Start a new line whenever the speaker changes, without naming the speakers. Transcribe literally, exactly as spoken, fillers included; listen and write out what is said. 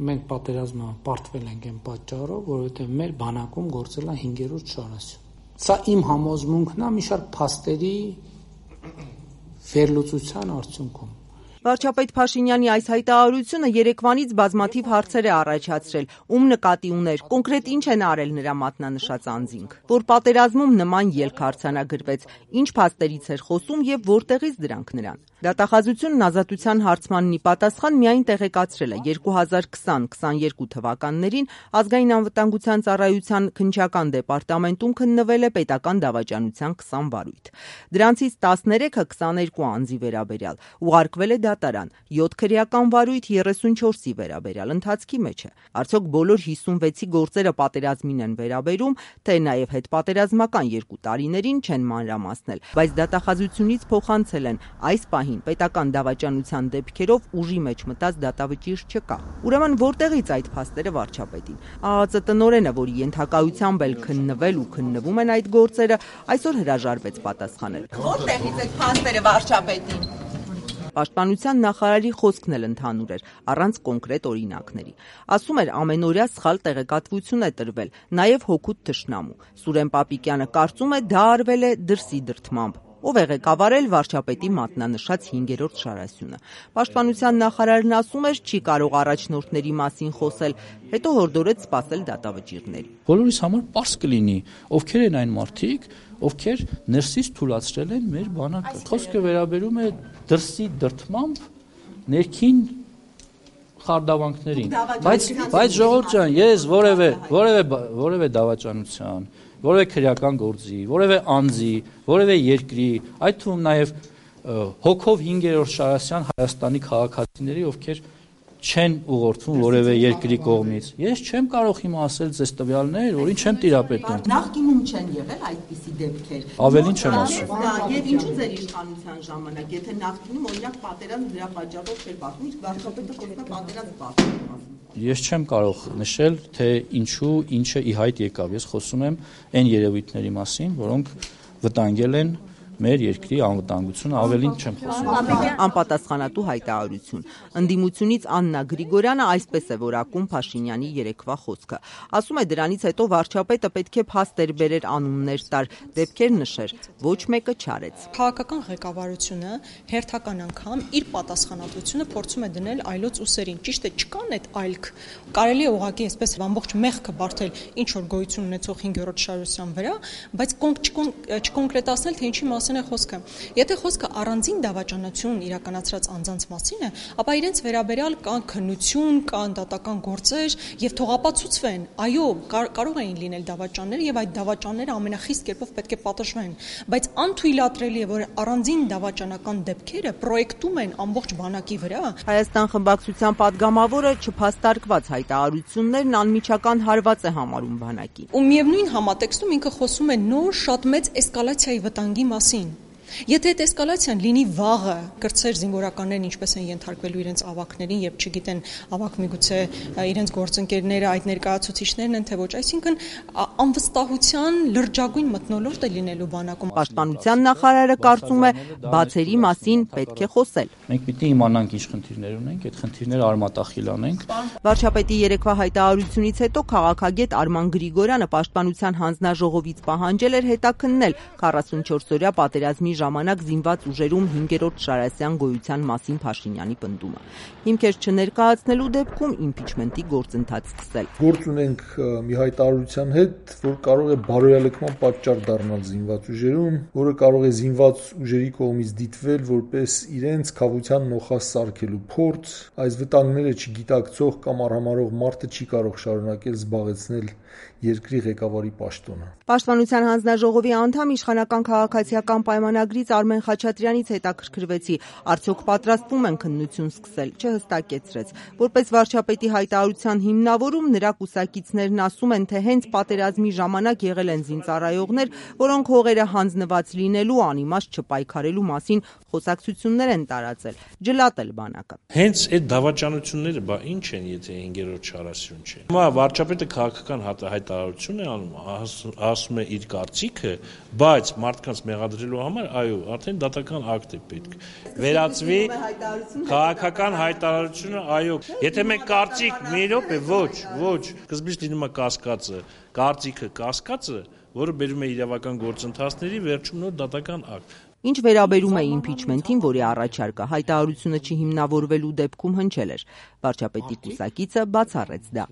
Մենք պատերազմը պարտվել ենք այն պատճառով, որովհետև մեր բանակում գործել է հինգերորդ շարասյուն։ Սա իմ համոզմունքն է մի շարք փաստերի վերլուծության արդյունքում։
Վարչապետ Փաշինյանի այս հայտարարությունը երեկվանից բազմաթիվ հարցեր է առաջացրել, ում նկատի ուներ, կոնկրետ ինչ են արել նրա մատնանշած անձինք, որ պատերազմում նման ելք արձանագրվեց, ինչ փաստերից էր խոսում եւ որտեղից դրանք նրան։ Դատախազությունն ազատության հարցմանն ի պատասխան միայն տեղեկացրել է երկու հազար քսան քսաներկու թվականներին ազգային անվտանգության ծառայության քննչական դեպարտամենտում քննվել է պետական դավաճանության քսան վարույթ։ Դրանցից տասներեքը քսաներկու անձի վերաբերյալ ուղարկվել է դատարան, յոթ քրեական վարույթ երեսունչորսի վերաբերյալ ընթացքի մեջ է։ Արդյոք բոլոր հիսունվեցի գործերը պատերազմին են վերաբերում, թե նաև հետպատերազմական երկու տարիներին չեն մանրամասնել, բայց դատախազությունից փոխանցել են այս պահին պետական դավաճանության դեպքերով ուժի մեջ մտած դատավճիռ չկա։ Ուրեմն որտեղից այդ փաստերը վարչապետին։ ԱԱԾ տնօրենը, որի ենթակայությամբ էլ քննվել ու քննվում են այդ գործերը, այսօր հրաժարվեց պատասխանել։ Որտեղից այդ փաստերը վարչապետին։ Պաշտպանության նախարարի խոսքն էլ ընդհանուր էր, առանց կոնկրետ օրինակների։ Ասում էր, ամենօրյա սխալ տեղեկատվություն է տրվել, նաև հօգուտ թշնամու։ Սուրեն Պապիկյանը կարծում է, դա արվել է դրսի դրդմամբ։ Ով է ղեկավարել վարչապետի մատնանշած հինգերորդ շարասյունը։ Պաշտպանության նախարարն ասում էր, չի կարող առաջնորդների մասին խոսել, հետո հորդորեց սպասել դատավճիռների։
Բոլորիս համար պարզ կլինի, ովքեր են այն մարդիկ, ովքեր ներսից թուլացրել են մեր բանակը։ Խոսքը վերաբերում է դրսի դրդմամբ ներքին խարդավանքներին։ Բայց բայց ժողովուրդ ջան, ես որևէ որևէ որևէ դավաճանության, որևէ քրեական գործի, որևէ անձի, որևէ երկրի, այդ թվում նաև հոգով հինգերորդ շարասյան Հայաստանի քաղաքացիների, ովքեր չեն ուղղորդվում որևէ երկրի կողմից։ Ես չեմ կարող հիմա ասել ձեզ տվյալներ, որին չեմ տիրապետում։
Նախկինում չեն եղել այդպիսի դեպքեր։
Ավելին չեմ ասում։
Եվ ինչու ձեր իշխանության ժամանակ, եթե նախկինում օրինակ պատերազմ դրա պատճառով չէր բախվում, իսկ վարչապետը խոսում է պատերազմ բախվում։
Ես չեմ կարող նշել, թե ինչու, ինչը ի հայտ եկավ։ Ես խոսում եմ այն երևույթների մասին, որոնք վտանգել են մեր երկրի անվտանգությունը, ավելին չեմ խոսում։
Անպատասխանատու հայտարարություն։ Ընդդիմությունից Աննա Գրիգորյանը այսպես է որակում Փաշինյանի երեկվա խոսքը։ Ասում է, դրանից հետո վարչապետը պետք է փաստեր բերեր, անուններ տար, դեպքեր նշեր, ոչ մեկը չարեց։
Քաղաքական ղեկավարությունը հերթական անգամ իր պատասխանատվությունը փորձում է դնել այլոց ուսերին։ Ճիշտ է, չկան այդ այլք։ Կարելի է ուղղակի այսպես ամբողջ մեղքը բարթել ինչ որ գոյություն ունեցող հինգերորդ շարասյան վրա, բայց չկոնկրետացնել, թե ինչի մասին է խոսքը։ Եթե խոսքը առանձին դավաճանություն իրականացրած անձանց մասին է, ապա իրենց վերաբերյալ կան քննություն, կան դատական գործեր եւ թողապացուցվեն։ Այո, կարող էին լինել դավաճաններ եւ այդ դավաճանները ամենախիստ կերպով պետք է պատժվեն, բայց անթույլատրելի է, որ առանձին դավաճանական դեպքերը պրոյեկտում են ամբողջ բանակի վրա։
Հայաստան խմբակցության падգամավորը չփաստարկված հայտարարություններն անմիջական հարված է համարում բանակին։
Ու միևնույն համատեքստում ինքը խոսում է նոր շատ մեծ էսկալացիայի վտանգի մասին։ Եթե այդ էսկալացիան լինի վաղը, կրտսեր զինվորականներն ինչպես են ենթարկվելու իրենց ավակներին եւ չգիտեն ավակ միգուցե իրենց գործընկերները այդ ներկայացուցիչներն են թե ոչ, այսինքն անվստահության լրջագույն մթնոլորտ է լինելու բանակում։
Պաշտպանության նախարարը կարծում է, բացերի մասին պետք է խոսել։
Մենք պիտի իմանանք ինչ խնդիրներ ունենք, այդ խնդիրները արմատախիլ անենք։
Վարչապետի երեկվա հայտարարությունից հետո քաղաքագետ Արման Գրիգորյանը պաշտպանության հանձնաժողովից պահանջել էր հետաքննել քառասունչորս օրյա պատերազմի ժամանակ զինված ուժերում հինգերորդ շարասյան գոյության մասին Փաշինյանի պնդումը։ Հիմքեր չներկայացնելու դեպքում իմպիչմենտի գործընթաց սկսել։
Գործ ունենք մի հայտարարության հետ, որ կարող է բարոյալքման պատճառ դառնալ զինված ուժերում, որը կարող է զինված ուժերի կողմից դիտվել որպես իրենց քավության նոխասարքելու փորձ, այս վտանգները չգիտակցող կամ արհամարհող մարդը չի կարող շարունակել զբաղեցնել երկրի ղեկավարի պաշտոնը։
Պաշտպանության հանձնաժողովի անդամ իշխանական քաղաքացիական պայմանագրից Արմեն Խաչատրյանից հետաքրքրվեցի, արդյոք պատրաստվում են քննություն սկսել, չհստակեցրեց։ Որպես վարչապետի հայտարարության հիմնավորում նրա կուսակիցներն ասում են, թե հենց պատերազմի ժամանակ եղել են զինծառայողներ, որոնք հողերը հանձնված լինելու, անիմաստ չպայքարելու մասին խոսակցություններ են տարածել, ջլատել բանակը։
Հենց այդ դավաճանությունները բա ինչ են, եթե հինգերորդ շարասյուն չէ։ Հիմա վարչապետը քաղաքական հայտարարություն է անում, ասում է իր կարծիքը, բայց մարդկանց մեղադրելու համար այո, արդեն դատական ակտ է պետք։ Վերածվի քաղաքական հայտարարությունը, այո։ Եթե մենք կարծիք մի րոպե, ոչ, ոչ, սկզբից լինում է կասկածը, կարծիքը կասկածը, որը բերում է իրավական գործընթացների, վերջում նոր դատական ակտ։
Ինչ վերաբերում է իմպիչմենթին, որի առաջարկը հայտարարությունը չհիմնավորվելու դեպքում հնչել էր, վարչապետի կուսակիցը բացառեց դա։